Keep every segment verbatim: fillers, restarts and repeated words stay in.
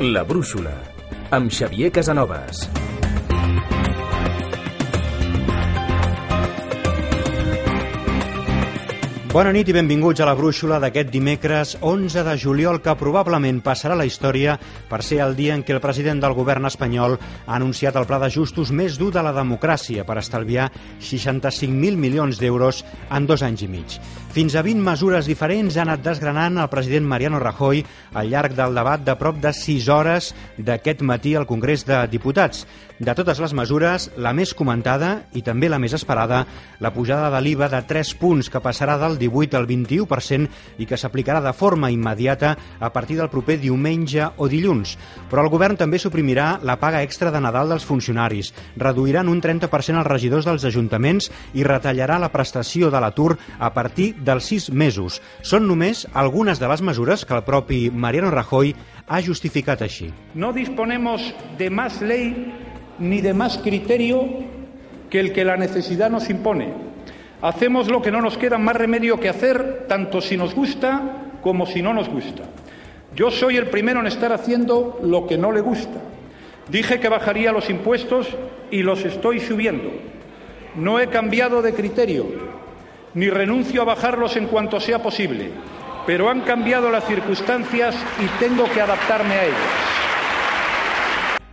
La Brúixola, amb Xavier Casanovas. Bona nit i benvinguts a La Brúixola d'aquest dimecres onze de juliol, que probablement passarà a la història per ser el dia en què el president del govern espanyol ha anunciat el pla d'ajustos més dur de la democràcia per estalviar seixanta-cinc mil milions d'euros en dos anys i mig. Fins a vint mesures diferents ha anat desgranant el president Mariano Rajoy al llarg del debat de prop de sis hores d'aquest matí al Congrés de Diputats. De totes les mesures, la més comentada i també la més esperada, la pujada de l'I V A de tres punts, que passarà del divuit al vint-i-u per cent i que s'aplicarà de forma immediata a partir del proper diumenge o dilluns. Però el govern també suprimirà la paga extra de Nadal dels funcionaris, reduirà en un trenta per cent els regidors dels ajuntaments i retallarà la prestació de l'atur a partir dels sis mesos. Són només algunes de les mesures que el propi Mariano Rajoy ha justificat així. No disponemos de más ley ni de más criterio que el que la necesidad nos impone. Hacemos lo que no nos queda más remedio que hacer, tanto si nos gusta como si no nos gusta. Yo soy el primero en estar haciendo lo que no le gusta. Dije que bajaría los impuestos y los estoy subiendo. No he cambiado de criterio, ni renuncio a bajarlos en cuanto sea posible, pero han cambiado las circunstancias y tengo que adaptarme a ellas.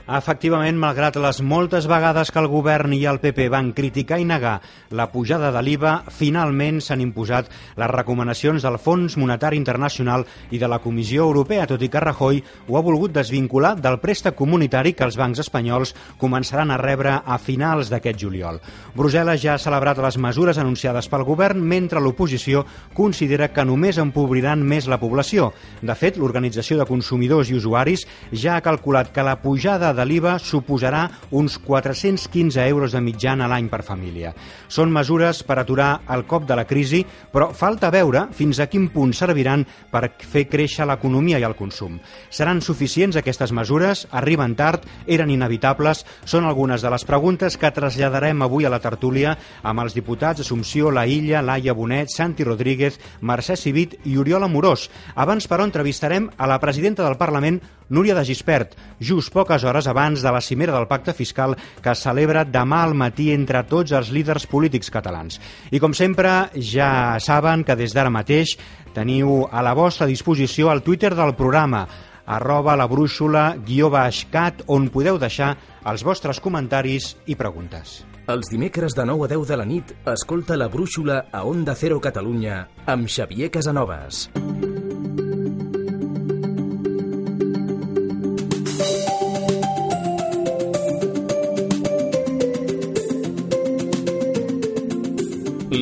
Efectivament, malgrat les moltes vegades que el govern i el P P van criticar i negar la pujada de l'I V A, finalment s'han imposat les recomanacions del Fons Monetari Internacional i de la Comissió Europea, tot i que Rajoy ho ha volgut desvincular del préstec comunitari que els bancs espanyols començaran a rebre a finals d'aquest juliol. Brussel·les ja ha celebrat les mesures anunciades pel govern, mentre l'oposició considera que només empobriran més la població. De fet, l'Organització de Consumidors i Usuaris ja ha calculat que la pujada de l'I V A suposarà uns quatre-cents quinze euros de mitjana a l'any per família. Són mesures per aturar el cop de la crisi, però falta veure fins a quin punt serviran per fer créixer l'economia i el consum. Seran suficients aquestes mesures? Arriben tard? Eren inevitables? Són algunes de les preguntes que traslladarem avui a la tertúlia amb els diputats Assumpció Laïlla, Laia Bonet, Santi Rodríguez, Mercè Civit i Oriol Amorós. Abans, però, entrevistarem a la presidenta del Parlament, Núria de Gispert, just poques hores abans de la cimera del pacte fiscal que es celebra demà al matí entre tots els líders polítics catalans. I com sempre, ja saben que des d'ara mateix teniu a la vostra disposició el Twitter del programa, arroba la brúixola guió baix cat, on podeu deixar els vostres comentaris i preguntes. Els dimecres de nou a deu de la nit, escolta La Brúixola a Onda Cero Catalunya amb Xavier Casanovas.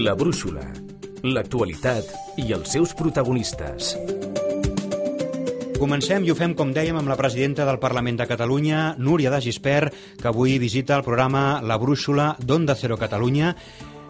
La Brúixola, l'actualitat i els seus protagonistes. Comencem i ho fem, com dèiem, amb la presidenta del Parlament de Catalunya, Núria de Gispert, que avui visita el programa La Brúixola d'Onda Cero Catalunya.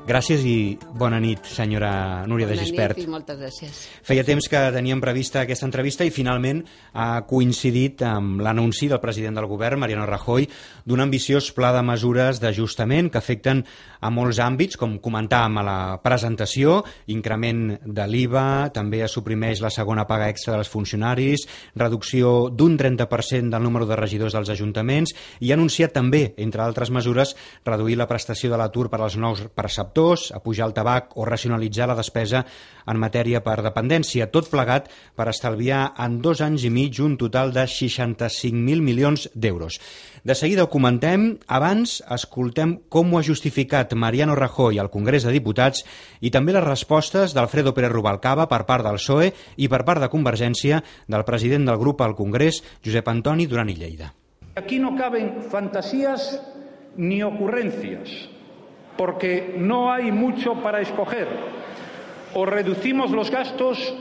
Gràcies i bona nit, senyora Núria de Gispert. Bona nit i moltes gràcies. Feia temps que teníem prevista aquesta entrevista i finalment ha coincidit amb l'anunci del president del govern, Mariano Rajoy, d'un ambiciós pla de mesures d'ajustament que afecten a molts àmbits, com comentàvem a la presentació: increment de l'I V A, també es suprimeix la segona paga extra dels funcionaris, reducció d'un trenta per cent del número de regidors dels ajuntaments i ha anunciat també, entre altres mesures, reduir la prestació de l'atur per als nous perceptors, a pujar el tabac o racionalitzar la despesa en matèria per dependència, tot plegat per estalviar en dos anys i mig un total de seixanta-cinc mil milions d'euros. De seguida ho comentem, abans escoltem com ho ha justificat Mariano Rajoy al Congrés de Diputats i també les respostes d'Alfredo Pérez Rubalcaba per part del P S O E i per part de Convergència del president del grup al Congrés, Josep Antoni Duran i Lleida. Aquí no caben fantasías ni ocurrencias, porque no hay mucho para escoger. O reducimos los gastos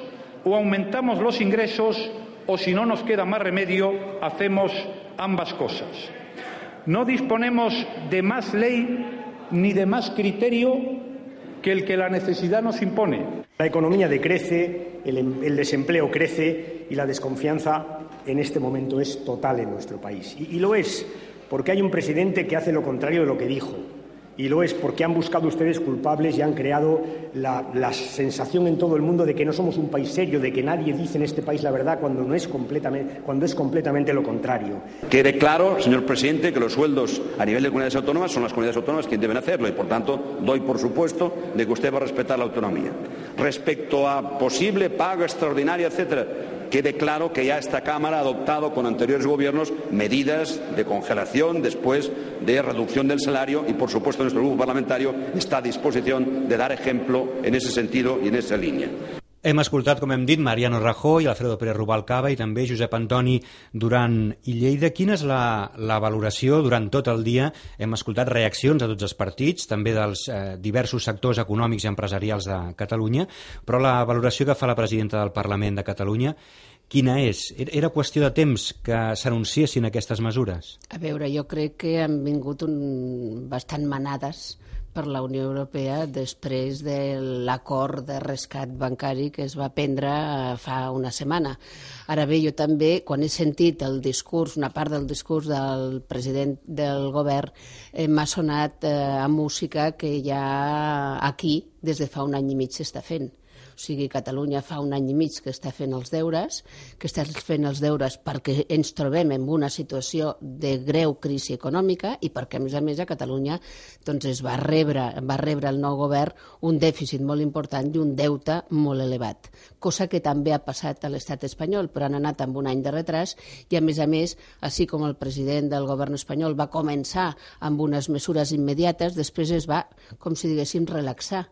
o aumentamos los ingresos, o si no nos queda más remedio, hacemos ambas cosas. No disponemos de más ley ni de más criterio que el que la necesidad nos impone. La economía decrece, el, el desempleo crece y la desconfianza en este momento es total en nuestro país. Y, y lo es porque hay un presidente que hace lo contrario de lo que dijo, Y lo es porque han buscado ustedes culpables y han creado la, la sensación en todo el mundo de que no somos un país serio, de que nadie dice en este país la verdad cuando, no es, completamente, cuando es completamente lo contrario. Quede claro, señor presidente, que los sueldos a nivel de comunidades autónomas son las comunidades autónomas quienes deben hacerlo y, por tanto, doy por supuesto de que usted va a respetar la autonomía. Respecto a posible pago extraordinario, etcétera, quede claro que ya esta Cámara ha adoptado con anteriores gobiernos medidas de congelación después de reducción del salario y, por supuesto, nuestro grupo parlamentario está a disposición de dar ejemplo en ese sentido y en esa línea. Hem escoltat, com hem dit, Mariano Rajoy, Alfredo Pérez Rubalcaba i també Josep Antoni Duran i Lleida. Quina és la, la valoració durant tot el dia? Hem escoltat reaccions de tots els partits, també dels eh, diversos sectors econòmics i empresarials de Catalunya, però la valoració que fa la presidenta del Parlament de Catalunya, quina és? Era qüestió de temps que s'anunciessin aquestes mesures? A veure, jo crec que han vingut un... bastant manades per la Unió Europea després de l'acord de rescat bancari que es va prendre fa una setmana. Ara bé, jo també, quan he sentit el discurs, una part del discurs del president del govern, eh, m'ha sonat eh, a música que ja aquí, des de fa un any i mig, s'està fent. O sigui, Catalunya fa un any i mig que està fent els deures, que està fent els deures perquè ens trobem en una situació de greu crisi econòmica i perquè, a més a més, a Catalunya doncs, es va rebre, va rebre el nou govern un dèficit molt important i un deute molt elevat, cosa que també ha passat a l'estat espanyol, però han anat amb un any de retras i, a més a més, així com el president del govern espanyol va començar amb unes mesures immediates, després es va, com si diguéssim, relaxar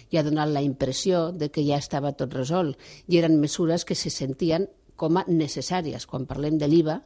i ha donat la impressió de que ja estava tot resolt i eren mesures que se sentien com a necessàries. Quan parlem de l'I V A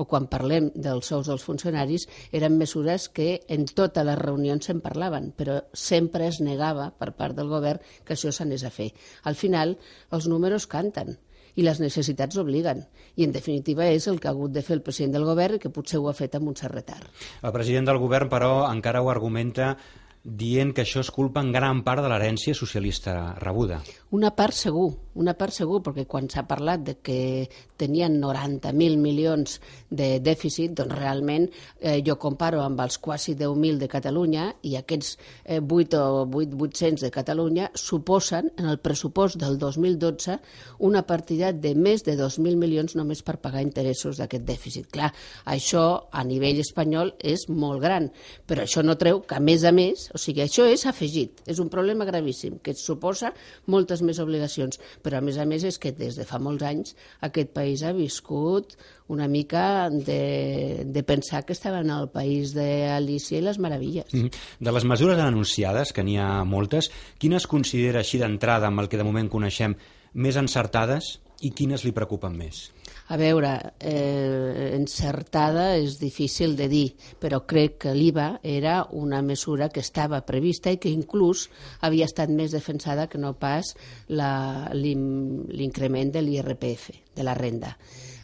o quan parlem dels sous dels funcionaris, eren mesures que en totes les reunions se'n parlaven, però sempre es negava per part del govern que això s'anés a fer. Al final, els números canten i les necessitats obliguen. I, en definitiva, és el que ha hagut de fer el president del govern i que potser ho ha fet amb un cert retard. El president del govern, però, encara ho argumenta dient que això és culpa en gran part de l'herència socialista rebuda. Una part segur, una part segur, perquè quan s'ha parlat de que tenien noranta mil milions de dèficit, doncs realment eh, jo comparo amb els quasi deu mil de Catalunya i aquests eh, vuit o vuit-cents de Catalunya suposen, en el pressupost del dos mil dotze, una partida de més de dos mil milions només per pagar interessos d'aquest dèficit. Clar, això a nivell espanyol és molt gran, però això no treu que, a més a més, o sigui, això és afegit, és un problema gravíssim, que suposa moltes més obligacions, però a més a més és que des de fa molts anys aquest país ha viscut una mica de, de pensar que estava en el país d'Alícia i les meravilles. De les mesures anunciades, que n'hi ha moltes, quines considera així d'entrada, amb el que de moment coneixem, més encertades i quines li preocupen més? A veure, eh, encertada és difícil de dir, però crec que l'I V A era una mesura que estava prevista i que inclús havia estat més defensada que no pas l'increment de l'I R P F, de la renda.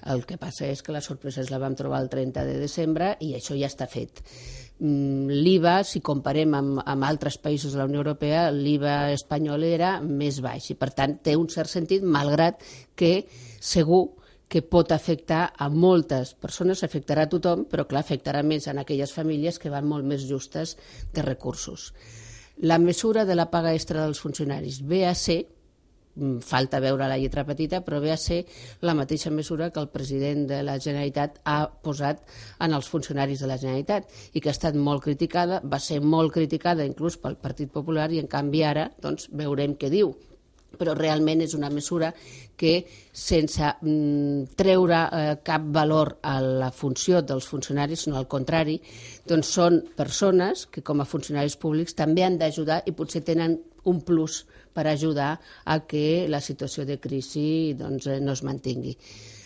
El que passa és que la sorpresa la vam trobar el trenta de desembre i això ja està fet. L'I V A, si comparem amb, amb altres països de la Unió Europea, l'I V A espanyol era més baix i, per tant, té un cert sentit, malgrat que segur que pot afectar a moltes persones, afectarà a tothom, però clar, afectarà més en aquelles famílies que van molt més justes de recursos. La mesura de la paga extra dels funcionaris ve a ser, falta veure la lletra petita, però ve a ser la mateixa mesura que el president de la Generalitat ha posat en els funcionaris de la Generalitat i que ha estat molt criticada, va ser molt criticada inclús pel Partit Popular i en canvi ara doncs, veurem què diu. Però realment és una mesura que, sense mm, treure eh, cap valor a la funció dels funcionaris, sinó al contrari, doncs són persones que com a funcionaris públics també han d'ajudar i potser tenen un plus per ajudar a que la situació de crisi doncs, no es mantingui.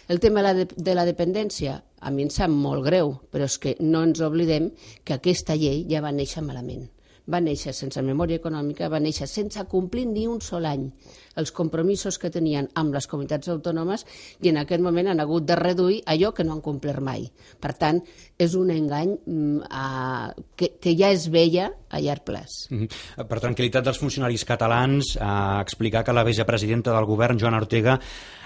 El tema de la, de, de la dependència, a mi em sap molt greu, però és que no ens oblidem que aquesta llei ja va néixer malament. Va néixer sense memòria econòmica, va néixer sense complir ni un sol any els compromisos que tenien amb les comunitats autònomes i en aquest moment han hagut de reduir allò que no han complert mai. Per tant, és un engany uh, que, que ja es veia a llarg plaç. Mm-hmm. Per tranquil·litat dels funcionaris catalans, a explicar que la vicepresidenta del govern, Joana Ortega,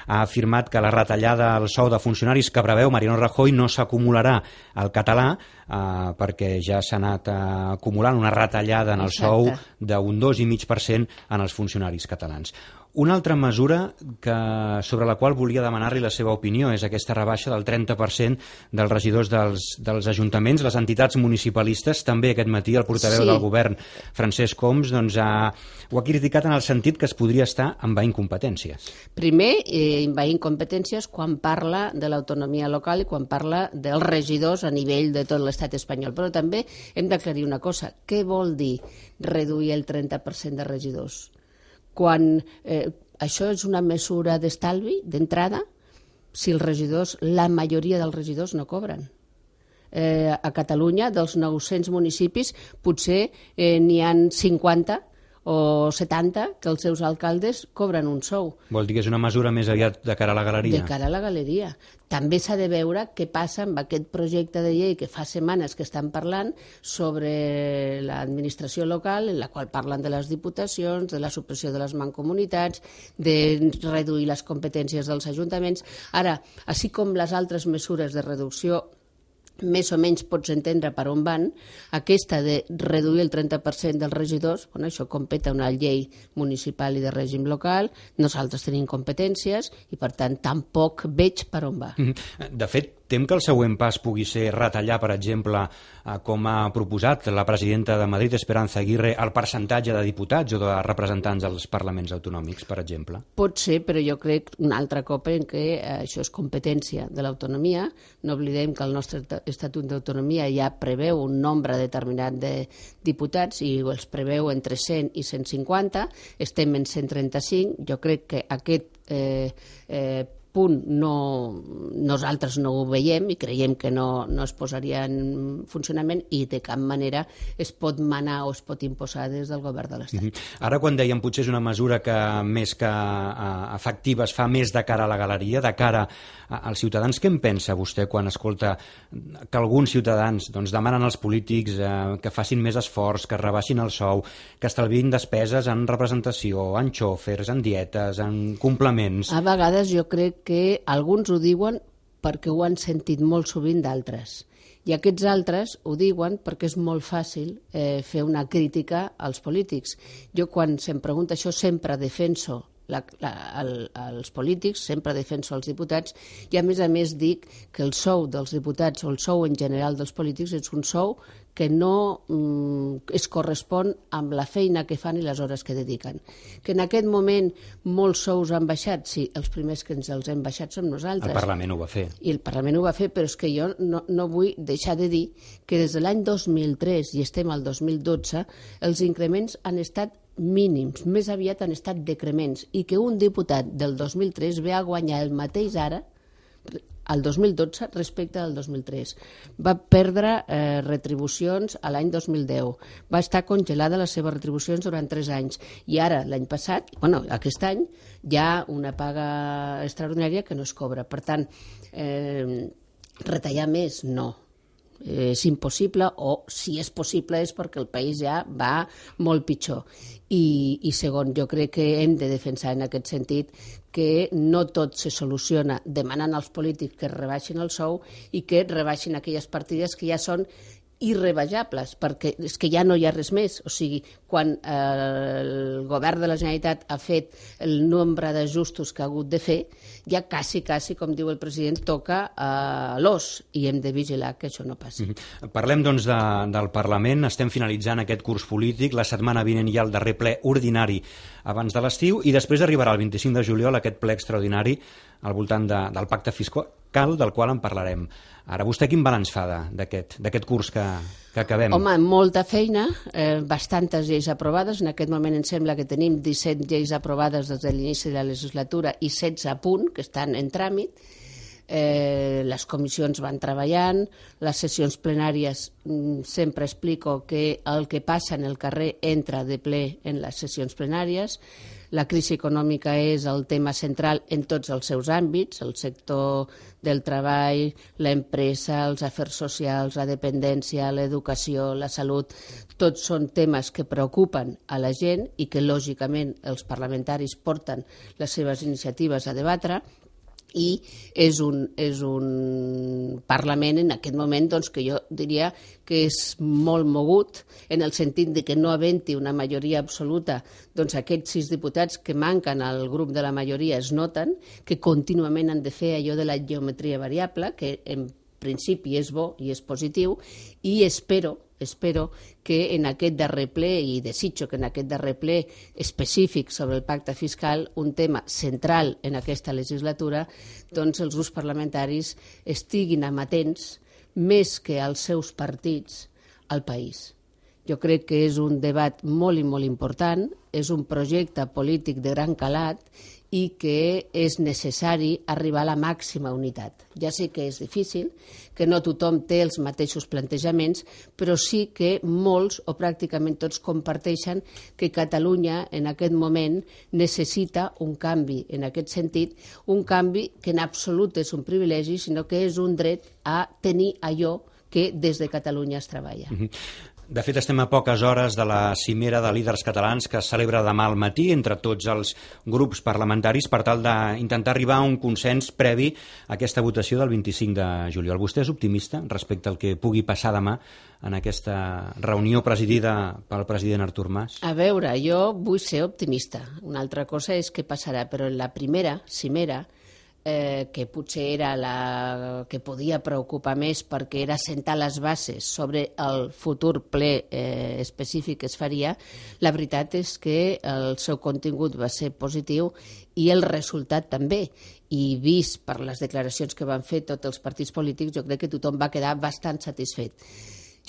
ha afirmat que la retallada al sou de funcionaris que preveu Mariano Rajoy no s'acumularà al català eh, perquè ja s'ha anat eh, acumulant una retallada en el sou d'un dos coma cinc per cent en els funcionaris catalans. Una altra mesura que, sobre la qual volia demanar-li la seva opinió és aquesta rebaixa del trenta per cent dels regidors dels, dels ajuntaments, les entitats municipalistes. També aquest matí el portaveu sí. del govern, Francesc Homs, doncs, ha, ho ha criticat en el sentit que es podria estar envaint competències. Primer, eh, envaint competències quan parla de l'autonomia local i quan parla dels regidors a nivell de tot l'estat espanyol. Però també hem d'aclarir una cosa. Què vol dir reduir el trenta per cent de regidors? Quan eh, això és una mesura d'estalvi, d'entrada, si els regidors, la majoria dels regidors no cobren. Eh, a Catalunya, dels nou-cents municipis, potser eh, n'hi ha cinquanta o setanta que els seus alcaldes cobren un sou. Vol dir que és una mesura més aviat de cara a la galeria? De cara a la galeria. També s'ha de veure què passa amb aquest projecte de llei que fa setmanes que estan parlant sobre l'administració local, en la qual parlen de les diputacions, de la supressió de les mancomunitats, de reduir les competències dels ajuntaments. Ara, així com les altres mesures de reducció més o menys pots entendre per on van, aquesta de reduir el trenta per cent dels regidors, bueno, això competa una llei municipal i de règim local, nosaltres tenim competències i per tant tampoc veig per on va. De fet, tem que el següent pas pugui ser retallar, per exemple, com ha proposat la presidenta de Madrid, Esperanza Aguirre, el percentatge de diputats o de representants als parlaments autonòmics, per exemple? Pot ser, però jo crec un altre cop en què això és competència de l'autonomia. No oblidem que el nostre Estatut d'Autonomia ja preveu un nombre determinat de diputats i els preveu entre cent i cent cinquanta, estem en cent trenta-cinc. Jo crec que aquest eh, eh, punt no, nosaltres no ho veiem i creiem que no, no es posaria en funcionament i de cap manera es pot manar o es pot imposar des del govern de l'Estat. Mm-hmm. Ara, quan dèiem potser és una mesura que més que uh, efectiva es fa més de cara a la galeria, de cara a, als ciutadans, què en pensa vostè quan escolta que alguns ciutadans doncs, demanen als polítics uh, que facin més esforç, que rebaixin el sou, que estalviïn despeses en representació, en xòfers, en dietes, en complements? A vegades jo crec que alguns ho diuen perquè ho han sentit molt sovint d'altres. I aquests altres ho diuen perquè és molt fàcil eh, fer una crítica als polítics. Jo, quan se'm pregunta això, sempre defenso la, la, el, els polítics, sempre defenso els diputats, i a més a més dic que el sou dels diputats o el sou en general dels polítics és un sou que no mm, es correspon amb la feina que fan i les hores que dediquen. Que en aquest moment molts sous han baixat, sí, els primers que ens els hem baixat som nosaltres. El Parlament ho va fer. I el Parlament ho va fer, però és que jo no, no vull deixar de dir que des de l'any dos mil tres i estem al dos mil dotze, els increments han estat mínims, més aviat han estat decrements, i que un diputat del dos mil tres ve a guanyar el mateix ara al dos mil dotze respecte al dos mil tres. Va perdre eh, retribucions a l'any dos mil deu. Va estar congelada les seves retribucions durant tres anys. I ara, l'any passat, bueno, aquest any, hi ha una paga extraordinària que no es cobra. Per tant, eh, retallar més, no. És impossible, o si és possible és perquè el país ja va molt pitjor. I, i segon, jo crec que hem de defensar en aquest sentit que no tot se soluciona demanant als polítics que rebaixin el sou i que rebaixin aquelles partides que ja són irrebaixables, perquè és que ja no hi ha res més. O sigui, quan eh, el govern de la Generalitat ha fet el nombre d'ajustos que ha hagut de fer, ja quasi, quasi, com diu el president, toca a l'os, i hem de vigilar que això no passi. Mm-hmm. Parlem, doncs, de, del Parlament. Estem finalitzant aquest curs polític. La setmana vinent hi ha el darrer ple ordinari abans de l'estiu, i després arribarà el vint-i-cinc de juliol aquest ple extraordinari al voltant de, del pacte fiscal, del qual en parlarem. Ara, vostè quin balanç fa d'aquest curs que, que acabem? Home, molta feina, eh, bastantes lleis aprovades. En aquest moment em sembla que tenim disset lleis aprovades des de l'inici de la legislatura i setze a punt, que estan en tràmit. Eh, les comissions van treballant, les sessions plenàries, mm, sempre explico que el que passa en el carrer entra de ple en les sessions plenàries. La crisi econòmica és el tema central en tots els seus àmbits, el sector del treball, l'empresa, els afers socials, la dependència, l'educació, la salut. Tots són temes que preocupen a la gent i que, lògicament, els parlamentaris porten les seves iniciatives a debatre. i és un, és un Parlament en aquest moment doncs, que jo diria que és molt mogut en el sentit de que no havent-hi una majoria absoluta, doncs aquests sis diputats que manquen al grup de la majoria es noten, que contínuament han de fer allò de la geometria variable, que en principi és bo i és positiu, i espero espero que en aquest darrer ple, i desitjo que en aquest darrer ple específic sobre el pacte fiscal, un tema central en aquesta legislatura, doncs els grups parlamentaris estiguin amatents més que als seus partits al país. Jo crec que és un debat molt i molt important, és un projecte polític de gran calat i que és necessari arribar a la màxima unitat. Ja sé que és difícil, que no tothom té els mateixos plantejaments, però sí que molts o pràcticament tots comparteixen que Catalunya en aquest moment necessita un canvi en aquest sentit, un canvi que en absolut és un privilegi, sinó que és un dret a tenir allò que des de Catalunya es treballa. Mm-hmm. De fet, estem a poques hores de la cimera de líders catalans que es celebra demà al matí entre tots els grups parlamentaris per tal d'intentar arribar a un consens previ a aquesta votació del vint-i-cinc de juliol. Vostè és optimista respecte al que pugui passar demà en aquesta reunió presidida pel president Artur Mas? A veure, jo vull ser optimista. Una altra cosa és què passarà, però en la primera cimera, Eh, que potser era la que podia preocupar més perquè era sentar les bases sobre el futur ple eh, específic que es faria, la veritat és que el seu contingut va ser positiu i el resultat també. I vist per les declaracions que van fer tots els partits polítics, jo crec que tothom va quedar bastant satisfet.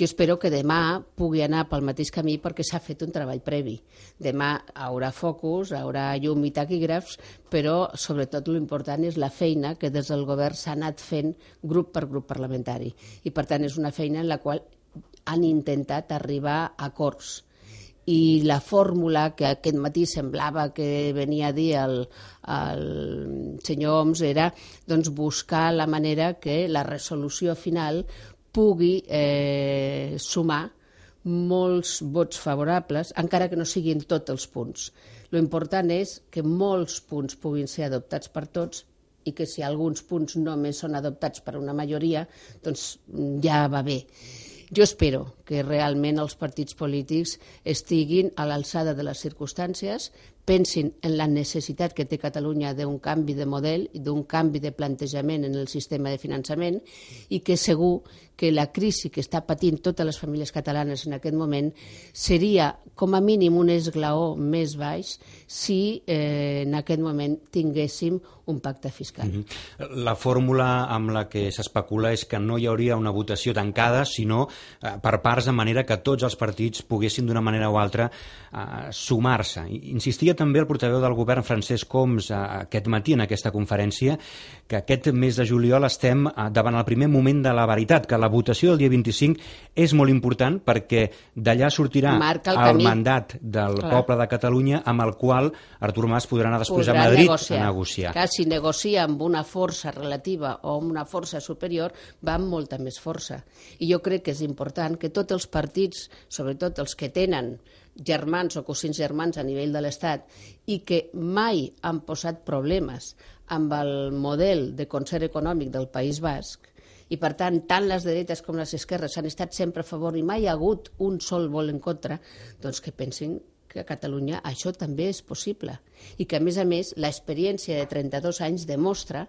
Jo espero que demà pugui anar pel mateix camí perquè s'ha fet un treball previ. Demà haurà focus, haurà llum i taquígrafs, però sobretot l'important és la feina que des del govern s'ha anat fent grup per grup parlamentari. I per tant és una feina en la qual han intentat arribar a acords. I la fórmula que aquest matí semblava que venia a dir el, el senyor Homs era doncs, buscar la manera que la resolució final pugui eh, sumar molts vots favorables, encara que no siguin tots els punts. Lo important és que molts punts puguin ser adoptats per tots i que si alguns punts només són adoptats per una majoria, doncs ja va bé. Jo espero que realment els partits polítics estiguin a l'alçada de les circumstàncies, pensin en la necessitat que té Catalunya d'un canvi de model i d'un canvi de plantejament en el sistema de finançament i que segur que la crisi que està patint totes les famílies catalanes en aquest moment seria com a mínim un esglaó més baix si eh, en aquest moment tinguéssim un pacte fiscal. Mm-hmm. La fórmula amb la que s'especula és que no hi hauria una votació tancada, sinó eh, per parts, de manera que tots els partits poguessin d'una manera o altra eh, sumar-se. Insistia també el portaveu del govern, Francesc Homs, eh, aquest matí en aquesta conferència, que aquest mes de juliol estem eh, davant el primer moment de la veritat, que la votació del dia vint-i-cinc és molt important perquè d'allà sortirà el, el mandat del Clar. Poble de Catalunya amb el qual Artur Mas podrà anar després podrà a Madrid negociar. a negociar. Clar, si negocia amb una força relativa o amb una força superior, va amb molta més força. I jo crec que és important que tots els partits, sobretot els que tenen germans o cosins germans a nivell de l'Estat i que mai han posat problemes amb el model de concert econòmic del País Basc, i per tant, tant les dretes com les esquerres han estat sempre a favor i mai hi ha hagut un sol vol en contra, doncs que pensin que a Catalunya això també és possible i que, a més a més, l'experiència de trenta-dos anys demostra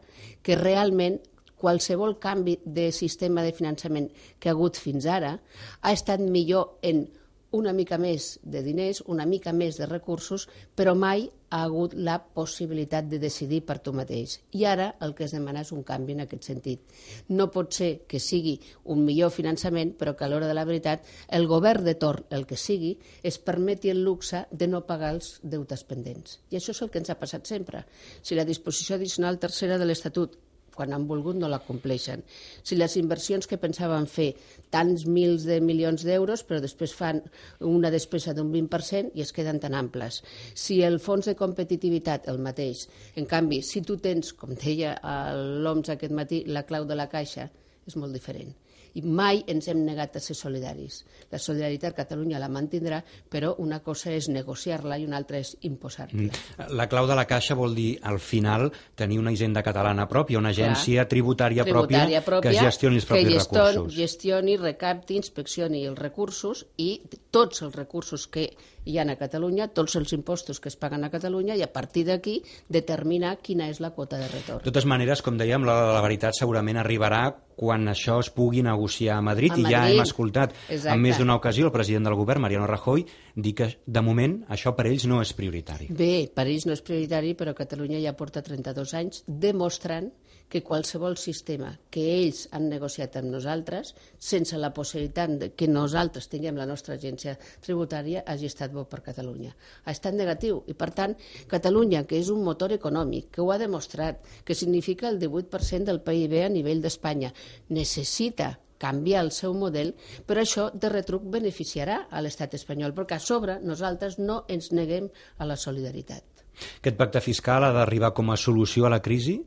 que realment qualsevol canvi de sistema de finançament que ha hagut fins ara ha estat millor en una mica més de diners, una mica més de recursos, però mai ha hagut la possibilitat de decidir per tu mateix. I ara el que es demana és un canvi en aquest sentit. No pot ser que sigui un millor finançament, però que a l'hora de la veritat el govern de torn, el que sigui, es permeti el luxe de no pagar els deutes pendents. I això és el que ens ha passat sempre. Si la disposició addicional tercera de l'Estatut quan han volgut no la compleixen. Si les inversions que pensaven fer tants mils de milions d'euros, però després fan una despesa d'un vint per cent i es queden tan amples. Si el fons de competitivitat, el mateix. En canvi, si tu tens, com deia l'O M S aquest matí, la clau de la caixa, és molt diferent. i mai ens hem negat a ser solidaris. La solidaritat Catalunya la mantindrà, però una cosa és negociar-la i una altra és imposar-la. La clau de la Caixa vol dir, al final, tenir una hisenda catalana pròpia, una agència tributària, tributària pròpia, que gestioni els propis que recursos. Que gestioni, recapti, inspeccioni els recursos i tots els recursos que hi ha a Catalunya, tots els impostos que es paguen a Catalunya, i a partir d'aquí determinar quina és la quota de retorn. De totes maneres, com dèiem, la, la veritat segurament arribarà quan això es pugui negociar a Madrid, a i Madrid. Ja hem escoltat Exacte. En més d'una ocasió el president del govern, Mariano Rajoy, dir que de moment això per ells no és prioritari. Bé, per ells no és prioritari, però Catalunya ja porta trenta-dos anys demostrant que qualsevol sistema que ells han negociat amb nosaltres, sense la possibilitat de que nosaltres tinguem la nostra agència tributària, hagi estat bo per Catalunya. Ha estat negatiu i, per tant, Catalunya, que és un motor econòmic, que ho ha demostrat, que significa el divuit per cent del P I B a nivell d'Espanya, necessita canviar el seu model, però això de retruc beneficiarà a l'estat espanyol, perquè a sobre nosaltres no ens neguem a la solidaritat. Aquest pacte fiscal ha d'arribar com a solució a la crisi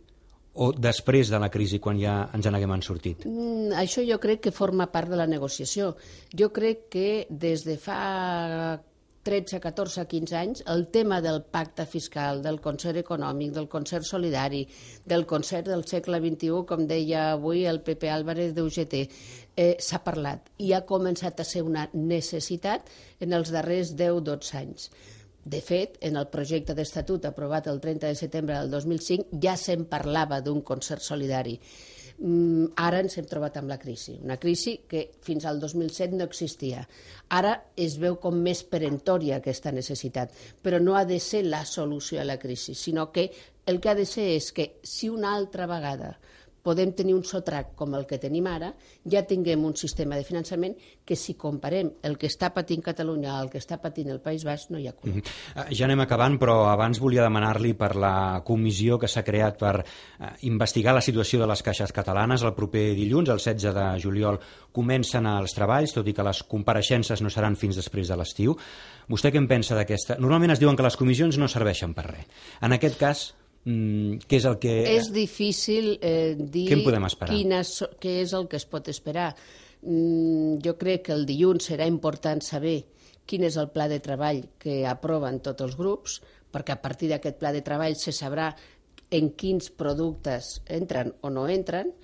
o després de la crisi, quan ja ens n'haguem sortit? Mm, això jo crec que forma part de la negociació. Jo crec que des de fa tretze, catorze, quinze anys, el tema del pacte fiscal, del concert econòmic, del concert solidari, del concert del segle vint-i-u, com deia avui el Pepe Álvarez d'U G T, eh, s'ha parlat i ha començat a ser una necessitat en els darrers deu a dotze anys. De fet, en el projecte d'estatut aprovat el trenta de setembre del dos mil cinc ja se'n parlava d'un concert solidari. Mm, ara ens hem trobat amb la crisi, una crisi que fins al dos mil set no existia. Ara es veu com més peremptòria aquesta necessitat, però no ha de ser la solució a la crisi, sinó que el que ha de ser és que si una altra vegada podem tenir un sotrac com el que tenim ara, ja tinguem un sistema de finançament que si comparem el que està patint Catalunya al que està patint el País Basc no hi ha color. Mm-hmm. Ja anem acabant, però abans volia demanar-li per la comissió que s'ha creat per eh, investigar la situació de les caixes catalanes. El proper dilluns, el setze de juliol, comencen els treballs, tot i que les compareixences no seran fins després de l'estiu. Vostè què en pensa d'aquesta? Normalment es diuen que les comissions no serveixen per res. En aquest cas, què és el que... És difícil eh, dir quina, què és el que es pot esperar. Mm, jo crec que el dilluns serà important saber quin és el pla de treball que aproven tots els grups, perquè a partir d'aquest pla de treball se sabrà en quins productes entren o no entren,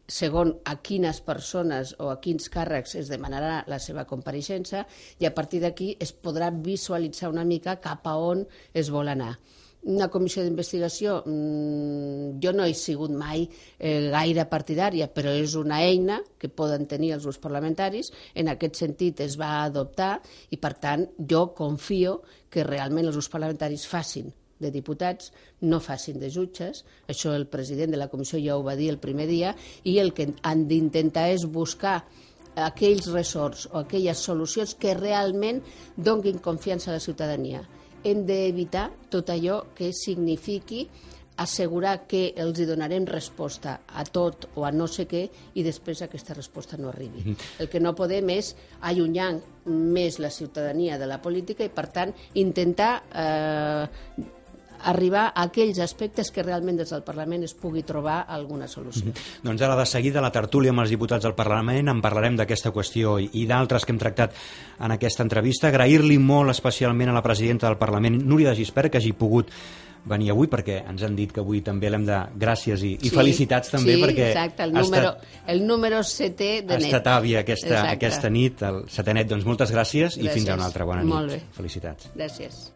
segon a quines persones o a quins càrrecs es demanarà la seva compareixença, i a partir d'aquí es podrà visualitzar una mica cap a on es vol anar. Una comissió d'investigació, mmm, jo no he sigut mai eh, gaire partidària, però és una eina que poden tenir els grups parlamentaris. En aquest sentit es va adoptar i, per tant, jo confio que realment els grups parlamentaris facin de diputats, no facin de jutges. Això el president de la comissió ja ho va dir el primer dia, i el que han d'intentar és buscar aquells ressorts o aquelles solucions que realment donin confiança a la ciutadania. Hem d'evitar tot allò que signifiqui assegurar que els hi donarem resposta a tot o a no sé què i després aquesta resposta no arribi. El que no podem és allunyar més la ciutadania de la política i, per tant, intentar eh, arribar a aquells aspectes que realment des del Parlament es pugui trobar alguna solució. Mm-hmm. Doncs ara de seguida, la tertúlia amb els diputats del Parlament, en parlarem d'aquesta qüestió i, i d'altres que hem tractat en aquesta entrevista. Agrair-li molt especialment a la presidenta del Parlament, Núria de Gispert, que hagi pogut venir avui, perquè ens han dit que avui també l'hem de... Gràcies i, i sí, felicitats també, sí, perquè exacte, el número, estat, el número setè de net. Ha estat àvia aquesta, aquesta nit, el setè net. Doncs moltes gràcies, gràcies i fins a una altra bona nit. Molt bé. Felicitats. Gràcies.